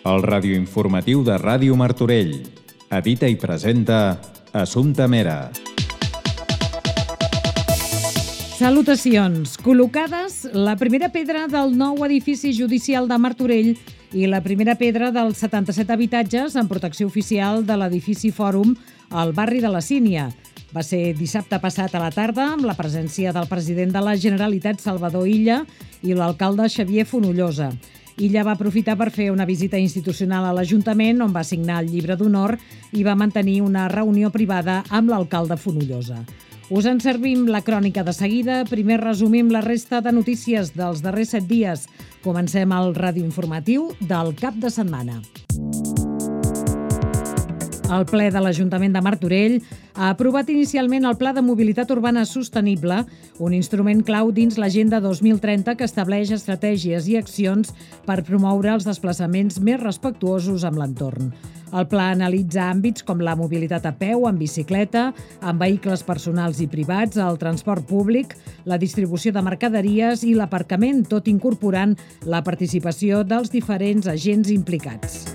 El radioinformatiu de Ràdio Martorell. Edita i presenta Assumpta Mera. Salutacions. Col·locades la primera pedra del nou edifici judicial de Martorell i la primera pedra dels 77 habitatges en protecció oficial de l'edifici Fòrum al barri de la Sínia. Va ser dissabte passat a la tarda amb la presència del president de la Generalitat, Salvador Illa, i l'alcalde Xavier Fonollosa. Illa va aprofitar per fer una visita institucional a l'Ajuntament, on va signar el llibre d'honor i va mantenir una reunió privada amb l'alcalde Fonollosa. Us en servim la crònica de seguida. Primer resumim la resta de notícies dels darrers 7 dies. Comencem el radioinformatiu del cap de setmana. El ple de l'Ajuntament de Martorell ha aprovat inicialment el Pla de Mobilitat Urbana Sostenible, un instrument clau dins l'Agenda 2030 que estableix estratègies i accions per promoure els desplaçaments més respectuosos amb l'entorn. El pla analitza àmbits com la mobilitat a peu, en bicicleta, amb vehicles personals i privats, el transport públic, la distribució de mercaderies i l'aparcament, tot incorporant la participació dels diferents agents implicats.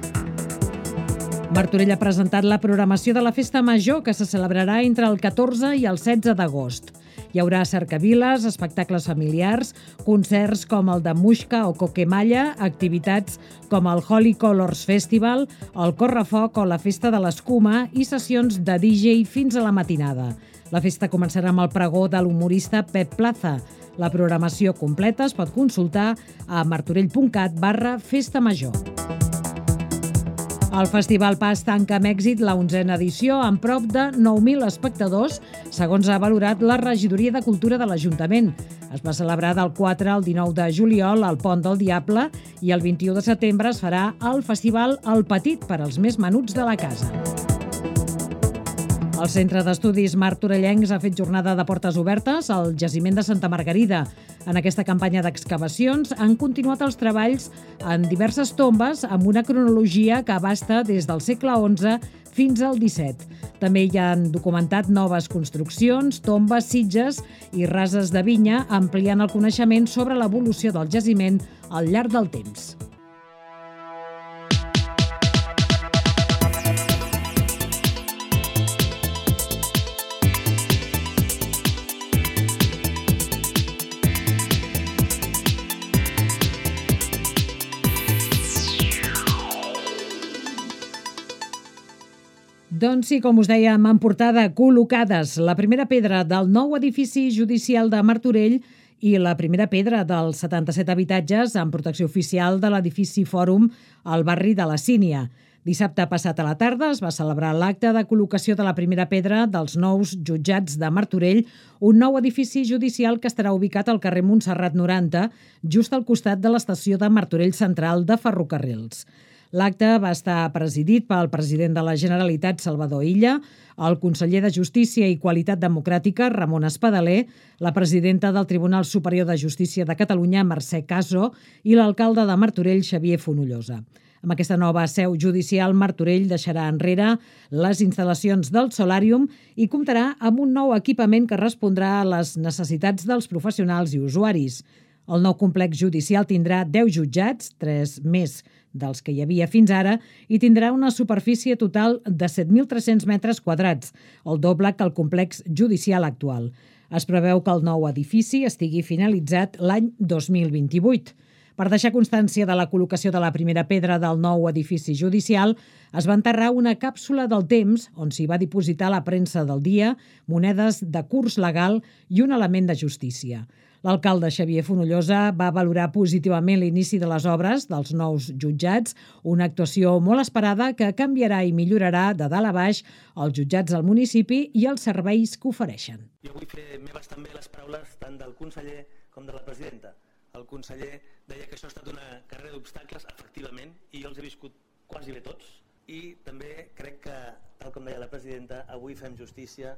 Martorell ha presentat la programació de la Festa Major, que se celebrarà entre el 14 i el 16 d'agost. Hi haurà cercaviles, espectacles familiars, concerts com el de Muixca o Coquemalla, activitats com el Holy Colors Festival, el Correfoc o la Festa de l'Escuma i sessions de DJ fins a la matinada. La festa començarà amb el pregó de l'humorista Pep Plaza. La programació completa es pot consultar a martorell.cat/Festa Major. El Festival Pas tanca amb èxit la 11a edició amb prop de 9.000 espectadors, segons ha valorat la Regidoria de Cultura de l'Ajuntament. Es va celebrar del 4 al 19 de juliol al Pont del Diable i el 21 de setembre es farà el Festival El Petit per als més menuts de la casa. El Centre d'Estudis Martorellencs ha fet jornada de portes obertes al jaciment de Santa Margarida. En aquesta campanya d'excavacions han continuat els treballs en diverses tombes amb una cronologia que abasta des del segle XI fins al XVII. També hi han documentat noves construccions, tombes, sitges i rases de vinya, ampliant el coneixement sobre l'evolució del jaciment al llarg del temps. Doncs sí, com us dèiem, en portada, col·locades la primera pedra del nou edifici judicial de Martorell i la primera pedra dels 77 habitatges en protecció oficial de l'edifici Fòrum al barri de la Sínia. Dissabte passat a la tarda es va celebrar l'acte de col·locació de la primera pedra dels nous jutjats de Martorell, un nou edifici judicial que estarà ubicat al carrer Montserrat 90, just al costat de l'estació de Martorell Central de Ferrocarrils. L'acte va estar presidit pel president de la Generalitat, Salvador Illa, el conseller de Justícia i Qualitat Democràtica, Ramon Espadaler, la presidenta del Tribunal Superior de Justícia de Catalunya, Mercè Caso, i l'alcalde de Martorell, Xavier Fonollosa. Amb aquesta nova seu judicial, Martorell deixarà enrere les instal·lacions del Solàrium i comptarà amb un nou equipament que respondrà a les necessitats dels professionals i usuaris. El nou complex judicial tindrà 10 jutjats, 3 més dels que hi havia fins ara, i tindrà una superfície total de 7.300 metres quadrats, el doble que el complex judicial actual. Es preveu que el nou edifici estigui finalitzat l'any 2028. Per deixar constància de la col·locació de la primera pedra del nou edifici judicial, es va enterrar una càpsula del temps on s'hi va dipositar la premsa del dia, monedes de curs legal i un element de justícia. L'alcalde Xavier Fonollosa va valorar positivament l'inici de les obres dels nous jutjats, una actuació molt esperada que canviarà i millorarà de dalt a baix els jutjats del municipi i els serveis que ofereixen. Jo vull fer meves també les paraules tant del conseller com de la presidenta. El conseller deia que això ha estat una carrera d'obstacles, efectivament, i jo els he viscut quasi bé tots. I també crec que, tal com deia la presidenta, avui fem justícia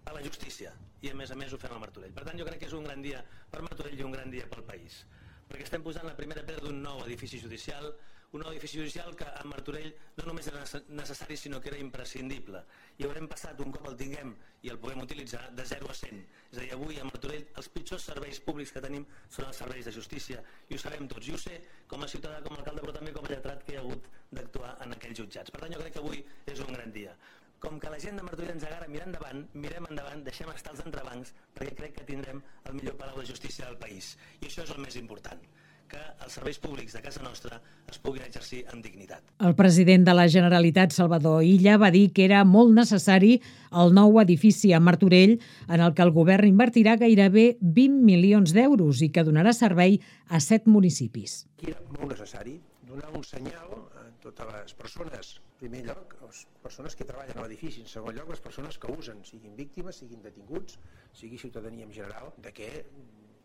a la justícia i a més ho fem a Martorell. Per tant, jo crec que és un gran dia per Martorell i un gran dia pel país, perquè estem posant la primera pedra d'un nou edifici judicial, un nou edifici judicial que a Martorell no només era necessari sinó que era imprescindible, i haurem passat, un cop el tinguem i el puguem utilitzar, de 0 a 100. És a dir, avui a Martorell els pitjors serveis públics que tenim són els serveis de justícia, i ho sabem tots, i ho sé com a ciutadà, com a alcalde, però també com a lletrat que hi ha hagut d'actuar en aquells jutjats. Per tant, jo crec que avui és un gran dia. Com que la gent de Martorell ens agarra mirar endavant, mirem endavant, deixem estar els entrebancs, perquè crec que tindrem el millor palau de justícia del país. I això és el més important, que els serveis públics de casa nostra es puguin exercir amb dignitat. El president de la Generalitat, Salvador Illa, va dir que era molt necessari el nou edifici a Martorell, en el que el govern invertirà gairebé 20 milions d'euros i que donarà servei a 7 municipis. Era molt necessari donar un senyal a totes les persones, en primer lloc, les persones que treballen a l'edifici, en segon lloc, les persones que usen, siguin víctimes, siguin detinguts, sigui ciutadania en general, de què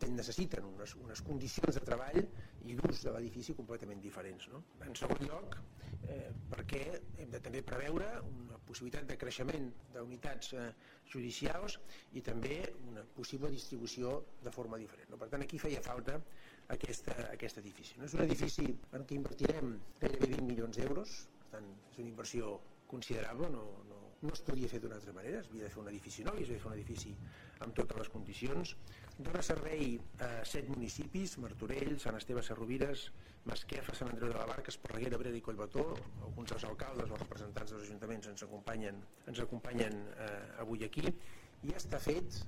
necessiten unes condicions de treball i d'ús de l'edifici completament diferents. No? En segon lloc, perquè hem de també preveure una possibilitat de creixement d'unitats judicials i també una possible distribució de forma diferent. No? Per tant, aquí feia falta aquest edifici. No? És un edifici en què invertirem gairebé 20 milions d'euros, per tant, és una inversió considerable, no es podia fer d'una altra manera, es havia de fer un edifici nou i es havia de fer un edifici amb totes les condicions. Dóna servei a 7 municipis, Martorell, Sant Esteve Sesrovires, Masquefa, Sant Andreu de la Barca, Esparreguera, Abrera i Collbató. Alguns dels alcaldes o representants dels ajuntaments ens acompanyen avui aquí. I ja està fet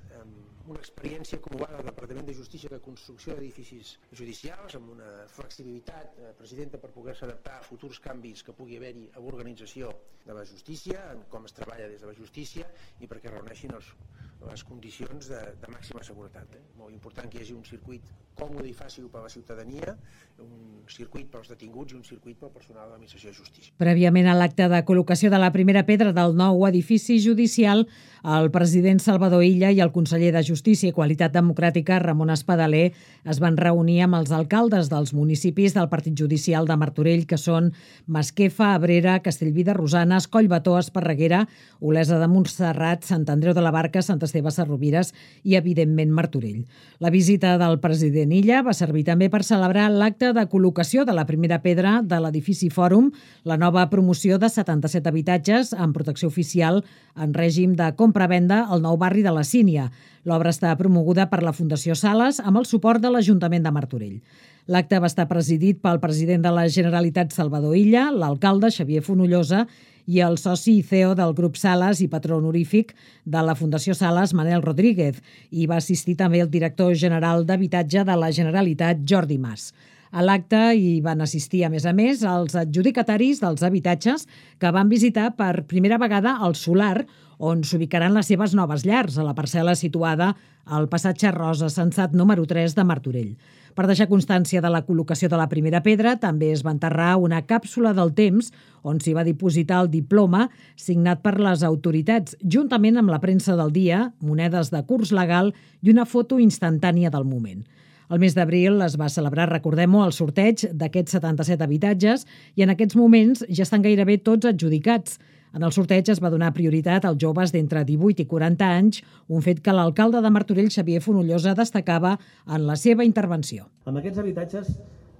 una experiència acumulada del Departament de Justícia de construcció d'edificis judicials amb una flexibilitat, presidenta, per poder-se adaptar a futurs canvis que pugui haver-hi a l'organització de la justícia, en com es treballa des de la justícia i perquè reuneixin les condicions de màxima seguretat. Molt important que hi hagi un circuit còmode i fàcil per a la ciutadania, un circuit pels detinguts i un circuit pel personal de l'administració de justícia. Prèviament a l'acte de col·locació de la primera pedra del nou edifici judicial, el president Salvador Illa i el conseller de Justícia i Qualitat Democràtica, Ramon Espadaler, es van reunir amb els alcaldes dels municipis del Partit Judicial de Martorell, que són Masquefa, Abrera, Castellví de Rosanes, Collbató, Esparreguera, Olesa de Montserrat, Sant Andreu de la Barca, Sant Esteve Sesrovires i, evidentment, Martorell. La visita del president Illa va servir també per celebrar l'acte de col·locació de la primera pedra de l'edifici Fòrum, la nova promoció de 77 habitatges amb protecció oficial en règim de compra-venda al nou barri de la Sínia. L'obra està promoguda per la Fundació Sales amb el suport de l'Ajuntament de Martorell. L'acte va estar presidit pel president de la Generalitat, Salvador Illa, l'alcalde Xavier Fonollosa i el soci i CEO del grup Sales i patró honorífic de la Fundació Sales, Manel Rodríguez, i va assistir també el director general d'Habitatge de la Generalitat, Jordi Mas. A l'acte hi van assistir, a més, els adjudicataris dels habitatges que van visitar per primera vegada el solar on s'ubicaran les seves noves llars, a la parcel·la situada al passatge Rosa Sensat número 3 de Martorell. Per deixar constància de la col·locació de la primera pedra, també es va enterrar una càpsula del temps on s'hi va dipositar el diploma signat per les autoritats, juntament amb la premsa del dia, monedes de curs legal i una foto instantània del moment. El mes d'abril es va celebrar, recordem-ho, el sorteig d'aquests 77 habitatges i en aquests moments ja estan gairebé tots adjudicats. En el sorteig es va donar prioritat als joves d'entre 18 i 40 anys, un fet que l'alcalde de Martorell, Xavier Fonollosa, destacava en la seva intervenció. Amb aquests habitatges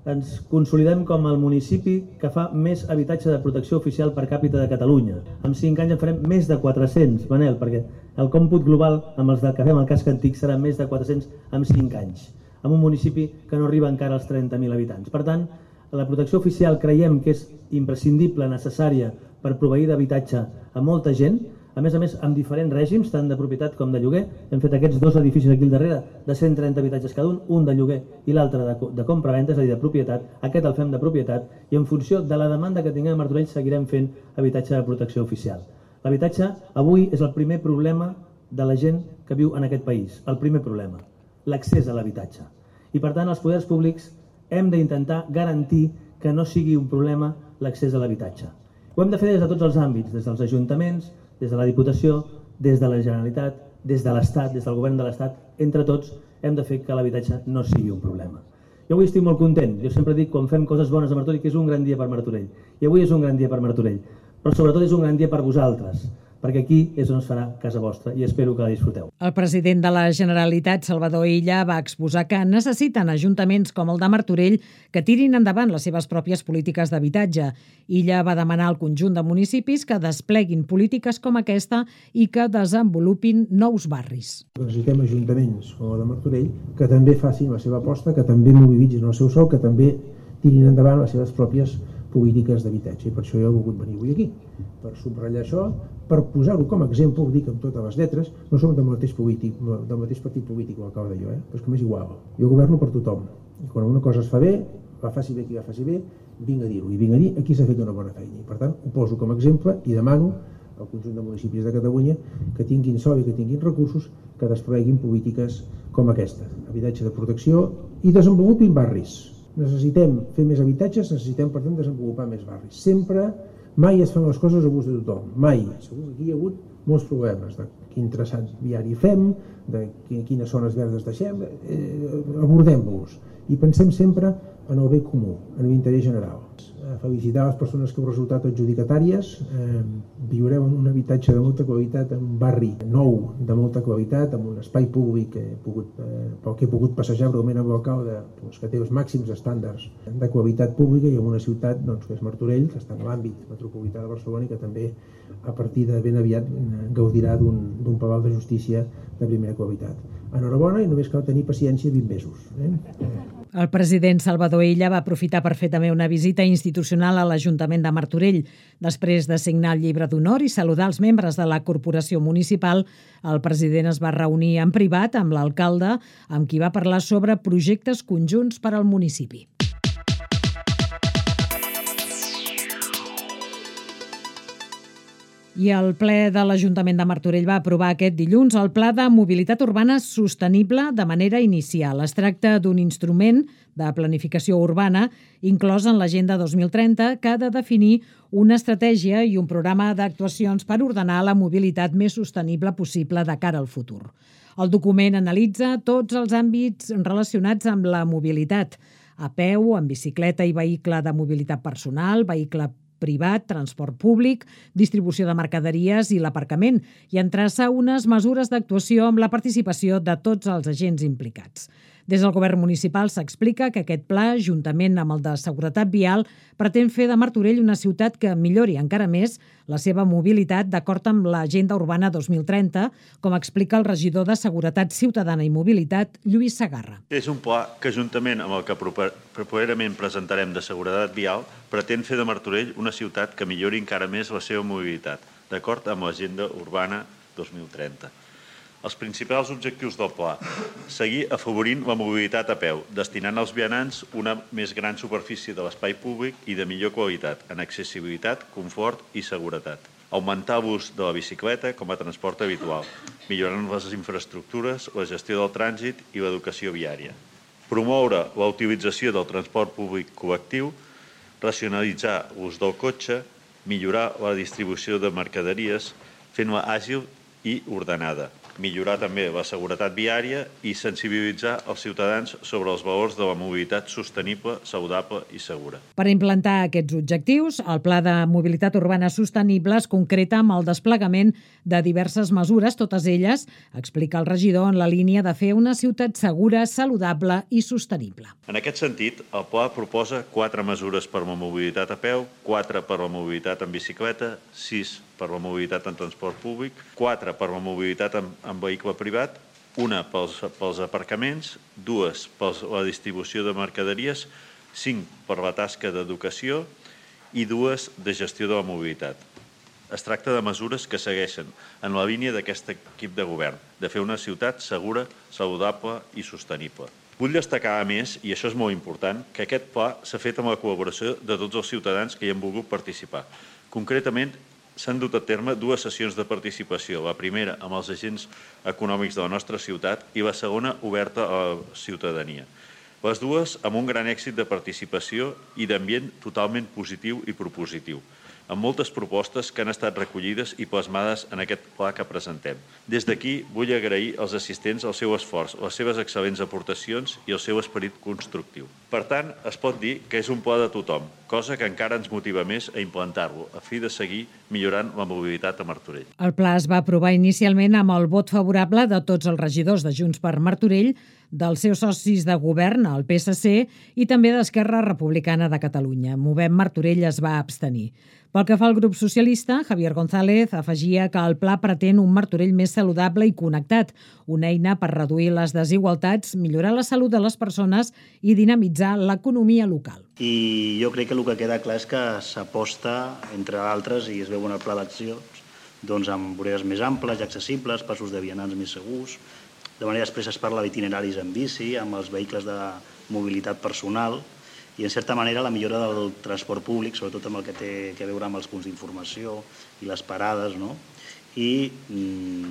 ens consolidem com el municipi que fa més habitatge de protecció oficial per càpita de Catalunya. En 5 anys en farem més de 400, Manel, perquè el còmput global amb els que fem al casc antic serà més de 400 en 5 anys, en un municipi que no arriba encara als 30.000 habitants. Per tant, la protecció oficial creiem que és imprescindible, necessària per proveir d'habitatge a molta gent, a més, amb diferents règims, tant de propietat com de lloguer. Hem fet aquests 2 edificis aquí al darrere de 130 habitatges cada un de lloguer i l'altre de compra-venda, és a dir, de propietat. Aquest el fem de propietat i en funció de la demanda que tinguem a Martorell seguirem fent habitatge de protecció oficial. L'habitatge avui és el primer problema de la gent que viu en aquest país, el primer problema, l'accés a l'habitatge. I per tant els poders públics hem d'intentar garantir que no sigui un problema l'accés a l'habitatge. Ho hem de fer des de tots els àmbits, des dels ajuntaments, des de la Diputació, des de la Generalitat, des de l'Estat, des del govern de l'Estat. Entre tots hem de fer que l'habitatge no sigui un problema. Jo avui estic molt content. Jo sempre dic, quan fem coses bones a Martorell, que és un gran dia per Martorell. I avui és un gran dia per Martorell. Però sobretot és un gran dia per vosaltres, perquè aquí és on es farà casa vostra i espero que la disfruteu. El president de la Generalitat, Salvador Illa, va exposar que necessiten ajuntaments com el de Martorell que tirin endavant les seves pròpies polítiques d'habitatge. Illa va demanar al conjunt de municipis que despleguin polítiques com aquesta i que desenvolupin nous barris. Necessitem ajuntaments com el de Martorell que també facin la seva aposta, que també mobilitzin el seu sou, que també tirin endavant les seves pròpies polítiques d'habitatge. I per això jo he volgut venir avui aquí, per subratllar això, per posar-ho com a exemple, ho dic amb totes les lletres, no som del mateix partit polític, ho acabo de dir, però és que m'és igual. Jo governo per tothom. I quan una cosa es fa bé, la faci bé qui la faci bé, vinc a dir-ho. I vinc a dir aquí s'ha fet una bona feina. I per tant, ho poso com a exemple i demano al conjunt de municipis de Catalunya que tinguin sòl i que tinguin recursos que despleguin polítiques com aquesta. Habitatge de protecció i desenvolupin barris. Necessitem fer més habitatges, necessitem, per tant, desenvolupar més barris. Sempre, mai es fan les coses a gust de tothom, mai. Segur que aquí hi ha hagut molts problemes de quin traçat viari fem, de quines zones verdes deixem, abordem-los i pensem sempre en el bé comú, en l'interès general. Felicitar les persones que heu resultat adjudicatàries. Viureu en un habitatge de molta qualitat, en un barri nou de molta qualitat, en un espai públic pel que he pogut passejar breument amb l'alcalde, que té els màxims estàndards de qualitat pública, i en una ciutat que és Martorell, que està en l'àmbit metropolità de Barcelona i que també a partir de ben aviat gaudirà d'un palau de justícia de primera qualitat. Enhorabona, i només cal tenir paciència 20 mesos. El president Salvador Illa va aprofitar per fer també una visita institucional a l'Ajuntament de Martorell. Després de signar el llibre d'honor i saludar els membres de la corporació municipal, el president es va reunir en privat amb l'alcalde, amb qui va parlar sobre projectes conjunts per al municipi. I el ple de l'Ajuntament de Martorell va aprovar aquest dilluns el Pla de Mobilitat Urbana Sostenible de manera inicial. Es tracta d'un instrument de planificació urbana inclòs en l'Agenda 2030 que ha de definir una estratègia i un programa d'actuacions per ordenar la mobilitat més sostenible possible de cara al futur. El document analitza tots els àmbits relacionats amb la mobilitat, a peu, en bicicleta i vehicle de mobilitat personal, vehicle privat, transport públic, distribució de mercaderies i l'aparcament, i en traça unes mesures d'actuació amb la participació de tots els agents implicats. Des del govern municipal s'explica que aquest pla, juntament amb el de seguretat vial, pretén fer de Martorell una ciutat que millori encara més la seva mobilitat d'acord amb l'Agenda Urbana 2030, com explica el regidor de Seguretat Ciutadana i Mobilitat, Lluís Segarra. És un pla que, juntament amb el que properament presentarem de seguretat vial, pretén fer de Martorell una ciutat que millori encara més la seva mobilitat, d'acord amb l'Agenda Urbana 2030. Els principals objectius del pla: seguir afavorint la mobilitat a peu, destinant als vianants una més gran superfície de l'espai públic i de millor qualitat en accessibilitat, confort i seguretat. Augmentar l'ús de la bicicleta com a transport habitual, millorant les infraestructures, la gestió del trànsit i l'educació viària. Promoure la utilització del transport públic col·lectiu, racionalitzar l'ús del cotxe, millorar la distribució de mercaderies, fent-la àgil i ordenada. Millorar també la seguretat viària i sensibilitzar els ciutadans sobre els valors de la mobilitat sostenible, saludable i segura. Per implantar aquests objectius, el Pla de Mobilitat Urbana Sostenible es concreta amb el desplegament de diverses mesures, totes elles, explica el regidor, en la línia de fer una ciutat segura, saludable i sostenible. En aquest sentit, el pla proposa 4 mesures per la mobilitat a peu, 4 per la mobilitat en bicicleta, 6 per la mobilitat en transport públic, 4 per la mobilitat en vehicle privat, 1 pels aparcaments, 2 per la distribució de mercaderies, 5 per la tasca d'educació i 2 de gestió de la mobilitat. Es tracta de mesures que segueixen en la línia d'aquest equip de govern, de fer una ciutat segura, saludable i sostenible. Vull destacar, a més, i això és molt important, que aquest pla s'ha fet amb la col·laboració de tots els ciutadans que hi han volgut participar. Concretament, s'han dut a terme 2 sessions de participació, la primera amb els agents econòmics de la nostra ciutat i la segona oberta a la ciutadania. Les dues amb un gran èxit de participació i d'ambient totalment positiu i propositiu. amb moltes propostes que han estat recollides i plasmades en aquest pla que presentem. Des d'aquí vull agrair als assistents el seu esforç, les seves excel·lents aportacions i el seu esperit constructiu. Per tant, es pot dir que és un pla de tothom, cosa que encara ens motiva més a implantar-lo, a fi de seguir millorant la mobilitat a Martorell. El pla es va aprovar inicialment amb el vot favorable de tots els regidors de Junts per Martorell, dels seus socis de govern, el PSC, i també d'Esquerra Republicana de Catalunya. Movem Martorell es va abstenir. Pel que fa al grup socialista, Javier González afegia que el pla pretén un Martorell més saludable i connectat, una eina per reduir les desigualtats, millorar la salut de les persones i dinamitzar l'economia local. I jo crec que el que queda clar és que s'aposta, entre altres, i es veu en el pla d'accions, doncs amb voreres més amples i accessibles, passos de vianants més segurs. De manera després es parla d'itineraris en bici, amb els vehicles de mobilitat personal i, en certa manera, la millora del transport públic, sobretot amb el que té a veure amb els punts d'informació i les parades, no? I,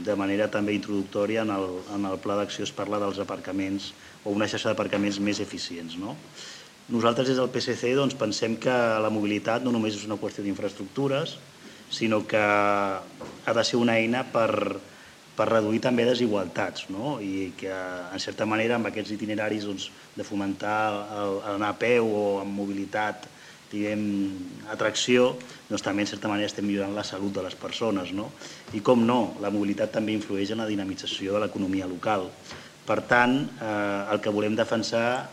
de manera també introductòria, en el pla d'acció es parla dels aparcaments o una xarxa d'aparcaments més eficients, no? Nosaltres, des del PSC, doncs, pensem que la mobilitat no només és una qüestió d'infraestructures, sinó que ha de ser una eina per reduir també desigualtats, no? I que, en certa manera, amb aquests itineraris de fomentar anar a peu o amb mobilitat, diguem, atracció, doncs també, en certa manera, estem millorant la salut de les persones, no? I, com no, la mobilitat també influeix en la dinamització de l'economia local. Per tant, el que volem defensar,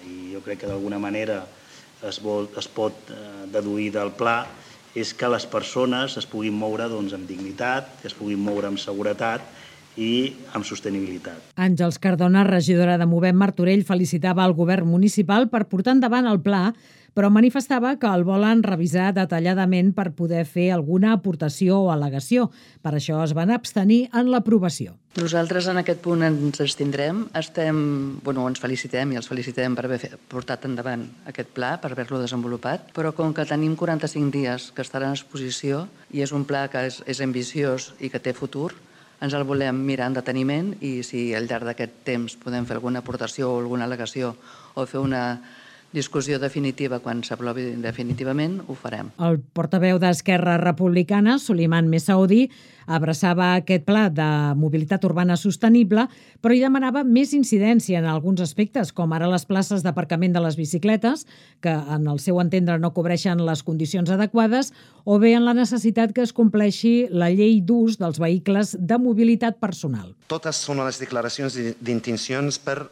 i jo crec que d'alguna manera es pot deduir del pla, és que les persones es puguin moure amb dignitat, que es puguin moure amb seguretat i amb sostenibilitat. Àngels Cardona, regidora de Movem Martorell, felicitava el govern municipal per portar endavant el pla, però manifestava que el volen revisar detalladament per poder fer alguna aportació o al·legació. Per això es van abstenir en l'aprovació. Nosaltres en aquest punt ens abstindrem. Ens felicitem i els felicitem per haver portat endavant aquest pla, per haver-lo desenvolupat, però com que tenim 45 dies que estarà en exposició i és un pla que és ambiciós i que té futur, ens el volem mirar en deteniment i si al llarg d'aquest temps podem fer alguna aportació o alguna al·legació o fer una discussió definitiva quan s'aprovi definitivament, ho farem. El portaveu d'Esquerra Republicana, Suleiman Messaoudi, abraçava aquest pla de mobilitat urbana sostenible, però hi demanava més incidència en alguns aspectes, com ara les places d'aparcament de les bicicletes, que en el seu entendre no cobreixen les condicions adequades, o bé en la necessitat que es compleixi la llei d'ús dels vehicles de mobilitat personal. Totes són les declaracions d'intencions per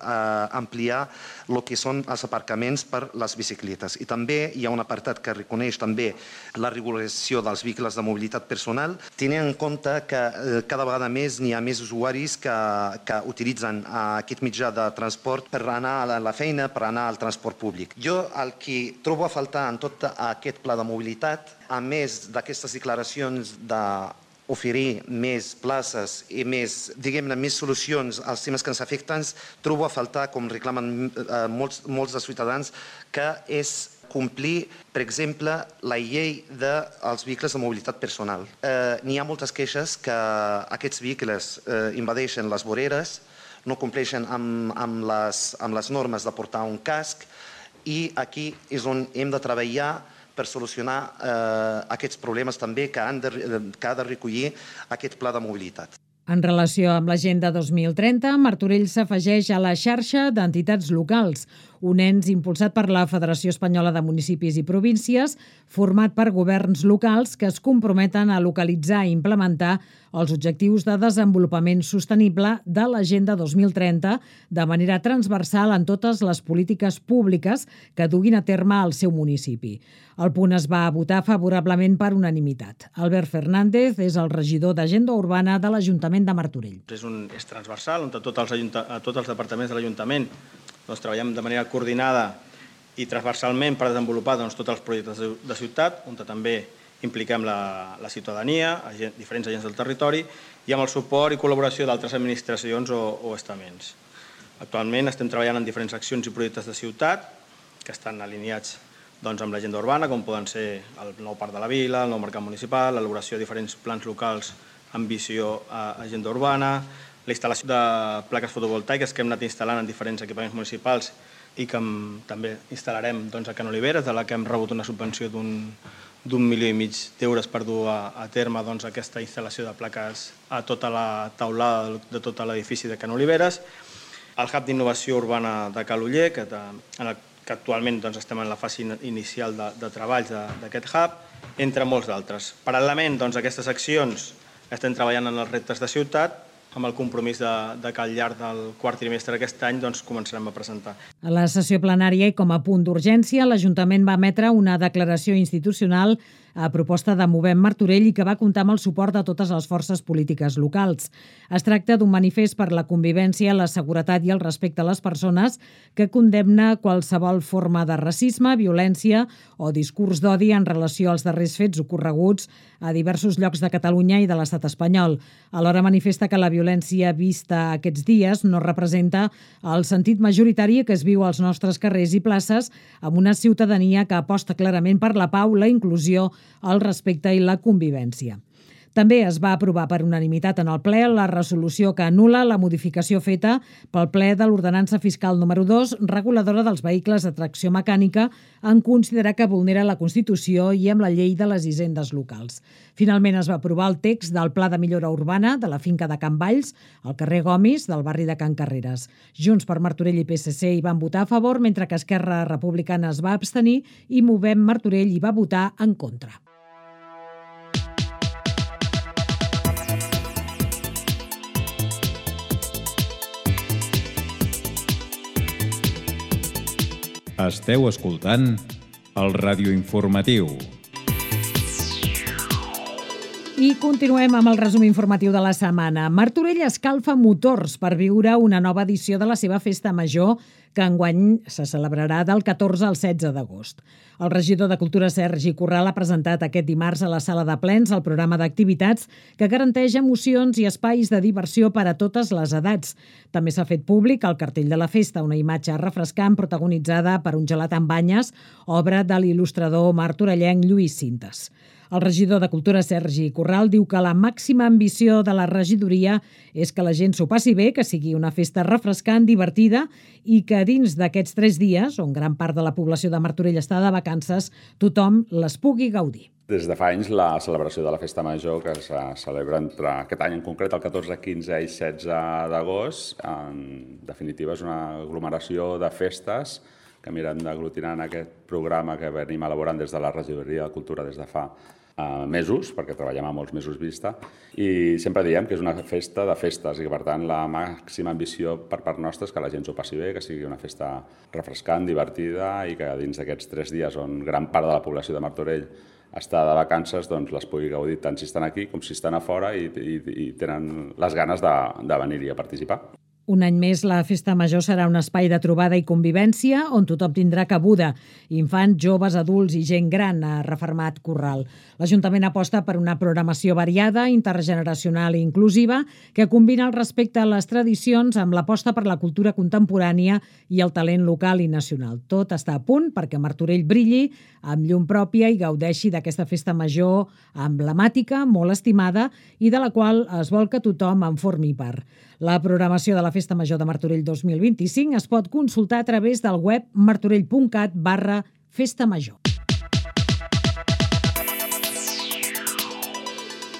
ampliar el que són els aparcaments per les bicicletes. I també hi ha un apartat que reconeix també la regulació dels vehicles de mobilitat personal, tenint en compte que cada vegada més n'hi ha més usuaris que utilitzen aquest mitjà de transport per anar a la feina, per anar al transport públic. Jo el que trobo a faltar en tot aquest pla de mobilitat, a més d'aquestes declaracions oferir més places i més solucions als temes que ens afecten, trobo a faltar, com reclamen molts dels ciutadans, que és complir, per exemple, la llei dels vehicles de mobilitat personal. N'hi ha moltes queixes que aquests vehicles invadeixen les voreres, no compleixen amb les normes de portar un casc i aquí és on hem de treballar per solucionar aquests problemes també que ha de recollir aquest pla de mobilitat. En relació amb l'Agenda 2030, Martorell s'afegeix a la xarxa d'entitats locals, un ens impulsat per la Federació Espanyola de Municipis i Províncies, format per governs locals que es comprometen a localitzar i implementar els objectius de desenvolupament sostenible de l'Agenda 2030 de manera transversal en totes les polítiques públiques que duguin a terme al seu municipi. El punt es va votar favorablement per unanimitat. Albert Fernández és el regidor d'Agenda Urbana de l'Ajuntament de Martorell. És transversal, on tots els departaments de l'Ajuntament treballem de manera coordinada i transversalment per desenvolupar tots els projectes de ciutat, on també impliquem la ciutadania, diferents agents del territori i amb el suport i col·laboració d'altres administracions o estaments. Actualment estem treballant en diferents accions i projectes de ciutat que estan alineats amb l'agenda urbana, com poden ser el nou parc de la vila, el nou mercat municipal, l'elaboració de diferents plans locals amb visió a agenda urbana, la instal·lació de plaques fotovoltaiques que hem anat instal·lant en diferents equipaments municipals i que també instal·larem a Can Oliveres, de la que hem rebut una subvenció d'un d'1,5 milió d'euros per dur a terme aquesta instal·lació de plaques a tota la taulada de tot l'edifici de Can Oliveres, el Hub d'Innovació Urbana de Caloller, que actualment estem en la fase inicial de treballs d'aquest hub, entre molts d'altres. Paral·lelament a aquestes accions estem treballant en els reptes de ciutat, amb el compromís que al llarg del quart trimestre d'aquest any començarem a presentar. A la sessió plenària i com a punt d'urgència, l'Ajuntament va emetre una declaració institucional a proposta de Movem Martorell i que va comptar amb el suport de totes les forces polítiques locals. Es tracta d'un manifest per la convivència, la seguretat i el respecte a les persones que condemna qualsevol forma de racisme, violència o discurs d'odi en relació als darrers fets ocorreguts a diversos llocs de Catalunya i de l'estat espanyol. Alhora manifesta que la violència vista aquests dies no representa el sentit majoritari que es viu als nostres carrers i places amb una ciutadania que aposta clarament per la pau, la inclusió, el respecte i la convivència. També es va aprovar per unanimitat en el ple la resolució que anul·la la modificació feta pel ple de l'Ordenança Fiscal número 2, reguladora dels vehicles de tracció mecànica, en considerar que vulnera la Constitució i amb la llei de les hisendes locals. Finalment es va aprovar el text del Pla de Millora Urbana de la finca de Can Valls, al carrer Gomis, del barri de Can Carreres. Junts per Martorell i PSC hi van votar a favor, mentre que Esquerra Republicana es va abstenir i Movem Martorell hi va votar en contra. Esteu escoltant el radioinformatiu. I continuem amb el resum informatiu de la setmana. Martorell escalfa motors per viure una nova edició de la seva festa major, que enguany se celebrarà del 14 al 16 d'agost. El regidor de Cultura, Sergi Corral, ha presentat aquest dimarts a la sala de plens el programa d'activitats que garanteix emocions i espais de diversió per a totes les edats. També s'ha fet públic el cartell de la festa, una imatge refrescant protagonitzada per un gelat amb banyes, obra de l'il·lustrador martorellenc Lluís Cintes. El regidor de Cultura, Sergi Corral, diu que la màxima ambició de la regidoria és que la gent s'ho passi bé, que sigui una festa refrescant, divertida i que dins d'aquests 3 dies, on gran part de la població de Martorell està de vacances, tothom les pugui gaudir. Des de fa anys, la celebració de la Festa Major, que se celebra entre aquest any en concret, el 14, 15 i 16 d'agost, en definitiva és una aglomeració de festes que miren d'aglutinar en aquest programa que venim elaborant des de la regidoria de Cultura des de fa mesos, perquè treballem a molts mesos vista, i sempre diem que és una festa de festes i que, per tant, la màxima ambició per part nostra és que la gent s'ho passi bé, que sigui una festa refrescant, divertida i que dins d'aquests 3 dies on gran part de la població de Martorell està de vacances, doncs les pugui gaudir tant si estan aquí com si estan a fora i tenen les ganes de venir-hi a participar. Un any més, la Festa Major serà un espai de trobada i convivència on tothom tindrà cabuda. Infants, joves, adults i gent gran, ha refermat Corral. L'Ajuntament aposta per una programació variada, intergeneracional i inclusiva que combina el respecte a les tradicions amb l'aposta per la cultura contemporània i el talent local i nacional. Tot està a punt perquè Martorell brilli amb llum pròpia i gaudeixi d'aquesta Festa Major emblemàtica, molt estimada i de la qual es vol que tothom en formi part. La programació de la Festa Major de Martorell 2025 es pot consultar a través del web martorell.cat/festamajor.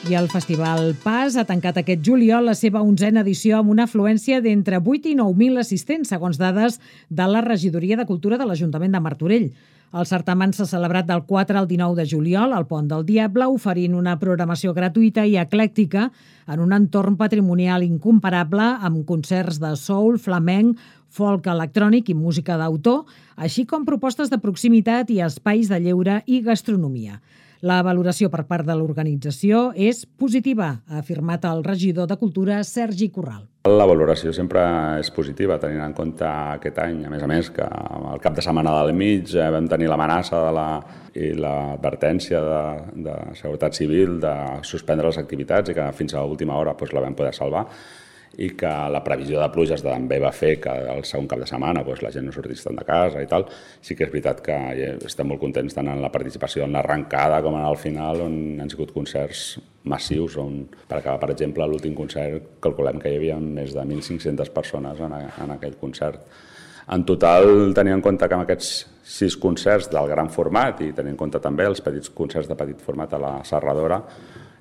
I el Festival Pas ha tancat aquest juliol la seva 11a edició amb una afluència d'entre 8 i 9.000 assistents, segons dades de la Regidoria de Cultura de l'Ajuntament de Martorell. El certamen s'ha celebrat del 4 al 19 de juliol al Pont del Diable, oferint una programació gratuïta i eclèctica en un entorn patrimonial incomparable amb concerts de soul, flamenc, folk electrònic i música d'autor, així com propostes de proximitat i espais de lleure i gastronomia. La valoració per part de l'organització és positiva, ha afirmat el regidor de Cultura, Sergi Corral. La valoració sempre és positiva, tenint en compte aquest any, a més, que al cap de setmana del mig vam tenir l'amenaça i l'advertència de Seguretat Civil de suspendre les activitats i que fins a l'última hora la vam poder salvar, i que la previsió de pluges també va fer que el segon cap de setmana la gent no sortís tant de casa i tal. Sí que és veritat que estem molt contents tant en la participació en l'arrencada com en el final, on han sigut concerts massius, on per acabar, per exemple, l'últim concert calculem que hi havia més de 1.500 persones en aquell concert. En total, tenint en compte que amb aquests 6 concerts del gran format i tenint en compte també els petits concerts de petit format a la Serradora,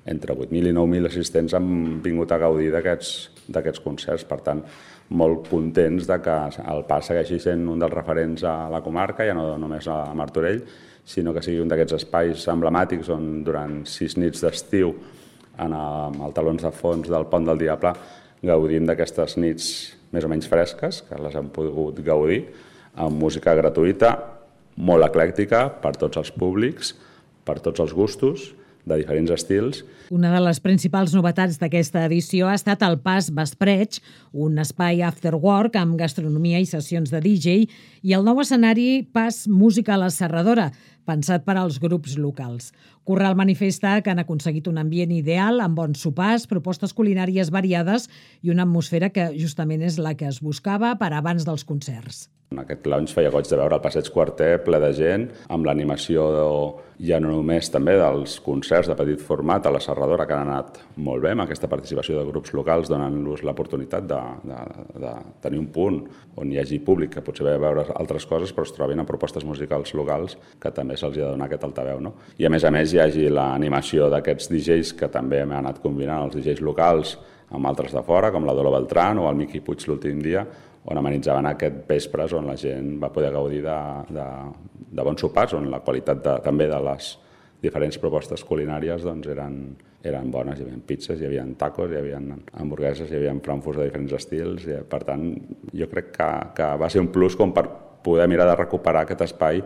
entre 8.000 i 9.000 assistents han vingut a gaudir d'aquests concerts. Per tant, molt contents de que el Pas segueixi sent un dels referents a la comarca, ja no només a Martorell, sinó que sigui un d'aquests espais emblemàtics on durant 6 nits d'estiu, en el talons de fons del Pont del Diable, gaudim d'aquestes nits més o menys fresques, que les hem pogut gaudir, amb música gratuïta, molt eclèctica per tots els públics, per tots els gustos, de diferents estils. Una de les principals novetats d'aquesta edició ha estat el Pas Vespreig, un espai after work amb gastronomia i sessions de DJ, i el nou escenari Pas Música a la Serradora, pensat per als grups locals. Corral manifesta que han aconseguit un ambient ideal amb bons sopars, propostes culinàries variades i una atmosfera que justament és la que es buscava per abans dels concerts. En aquest lounge feia goig de veure el Passeig Quarter ple de gent, amb l'animació ja no només també dels concerts de petit format a la Serradora, que han anat molt bé, amb aquesta participació de grups locals, donant-los l'oportunitat de tenir un punt on hi hagi públic que potser ve a veure altres coses, però es trobin a propostes musicals locals que també se'ls ha de donar aquest altaveu, no? I a més hi hagi l'animació d'aquests DJs que també hem anat combinant els DJs locals amb altres de fora, com la Dolo Beltrán o el Miqui Puig l'últim dia, on amenitzaven aquest vespres on la gent va poder gaudir de bons sopars, on la qualitat també de les diferents propostes culinàries doncs, eren bones. Hi havia pizzas, hi havia tacos, hi havia hamburgueses, hi havia frankfurts de diferents estils. I, per tant, jo crec que va ser un plus com per poder mirar de recuperar aquest espai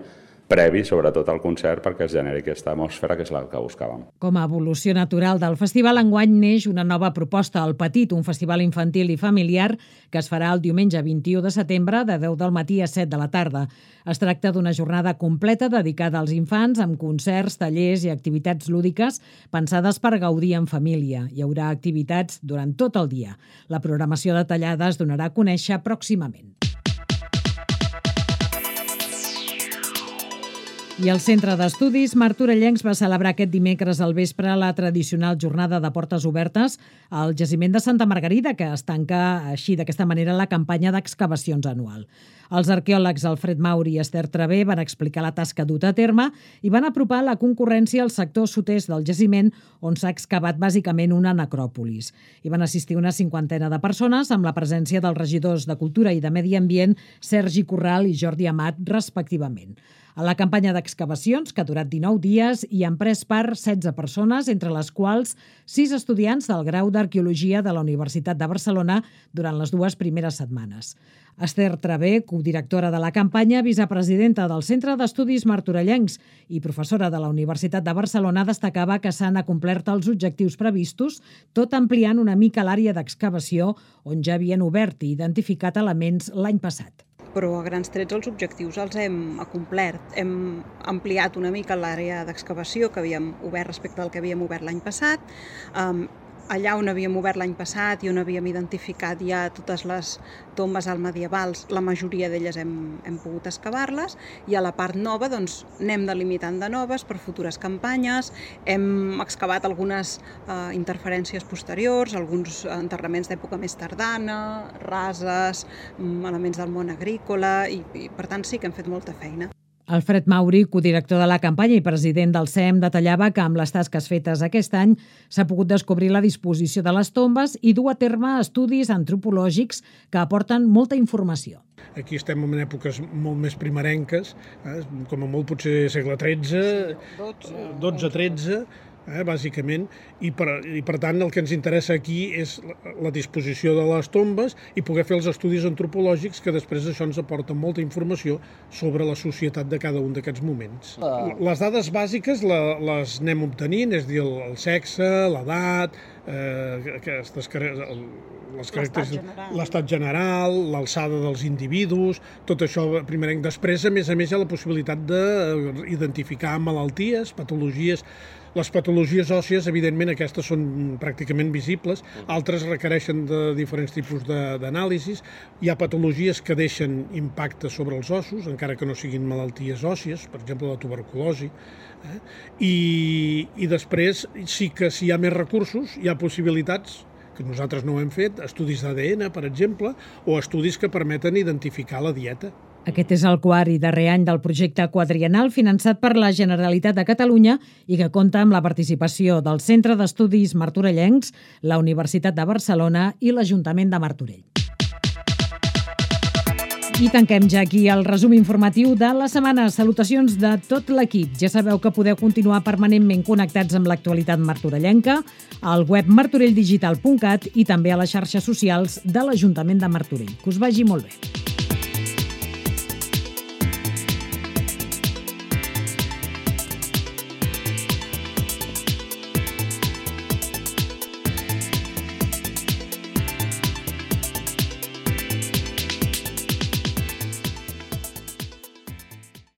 previ, sobretot al concert, perquè es generi aquesta atmosfera que és la que buscàvem. Com a evolució natural del festival, enguany neix una nova proposta, El Petit, un festival infantil i familiar que es farà el diumenge 21 de setembre de 10 del matí a 7 de la tarda. Es tracta d'una jornada completa dedicada als infants amb concerts, tallers i activitats lúdiques pensades per gaudir en família. Hi haurà activitats durant tot el dia. La programació detallada es donarà a conèixer pròximament. I el Centre d'Estudis Martorellencs va celebrar aquest dimecres al vespre la tradicional jornada de portes obertes al jaciment de Santa Margarida, que es tanca així d'aquesta manera la campanya d'excavacions anual. Els arqueòlegs Alfred Mauri i Esther Travé van explicar la tasca duta a terme i van apropar la concurrència al sector sud-est del jaciment, on s'ha excavat bàsicament una necròpolis. Hi van assistir una 50 de persones amb la presència dels regidors de Cultura i de Medi Ambient, Sergi Corral i Jordi Amat, respectivament. A la campanya d'excavacions, que ha durat 19 dies, hi han pres part 16 persones, entre les quals 6 estudiants del grau d'Arqueologia de la Universitat de Barcelona durant les 2 primeres setmanes. Esther Travé, codirectora de la campanya, vicepresidenta del Centre d'Estudis Martorellencs i professora de la Universitat de Barcelona, destacava que s'han acomplert els objectius previstos, tot ampliant una mica l'àrea d'excavació on ja havien obert i identificat elements l'any passat. Però a grans trets els objectius els hem acomplert. Hem ampliat una mica l'àrea d'excavació que havíem obert respecte al que havíem obert l'any passat. Allà on havíem obert l'any passat i on havíem identificat ja totes les tombes almedievals, la majoria d'elles hem pogut excavar-les, i a la part nova doncs, anem delimitant de noves per futures campanyes. Hem excavat algunes interferències posteriors, alguns enterraments d'època més tardana, rases, elements del món agrícola, i per tant sí que hem fet molta feina. Alfred Mauri, codirector de la campanya i president del CEM, detallava que amb les tasques fetes aquest any s'ha pogut descobrir la disposició de les tombes i dur a terme estudis antropològics que aporten molta informació. Aquí estem en èpoques molt més primerenques, com a molt potser segle XIII, XII, bàsicament, i per tant el que ens interessa aquí és la disposició de les tombes i poder fer els estudis antropològics que després això ens aporta molta informació sobre la societat de cada un d'aquests moments. Les dades bàsiques les anem obtenint, és a dir, el sexe, l'edat, l'estat general, l'alçada dels individus, tot això primerenc. Després, a més, hi ha la possibilitat d'identificar malalties, patologies. Les patologies òssies, evidentment, aquestes són pràcticament visibles, altres requereixen de diferents tipus d'anàlisis. Hi ha patologies que deixen impacte sobre els ossos, encara que no siguin malalties òssies, per exemple la tuberculosi. I després sí que si hi ha més recursos, hi ha possibilitats que nosaltres no ho hem fet, estudis d'ADN, per exemple, o estudis que permeten identificar la dieta. Aquest és el quart i darrer any del projecte quadriennal finançat per la Generalitat de Catalunya i que compta amb la participació del Centre d'Estudis Martorellencs, la Universitat de Barcelona i l'Ajuntament de Martorell. I tanquem ja aquí el resum informatiu de la setmana. Salutacions de tot l'equip. Ja sabeu que podeu continuar permanentment connectats amb l'actualitat martorellenca, al web martorelldigital.cat i també a les xarxes socials de l'Ajuntament de Martorell. Que us vagi molt bé.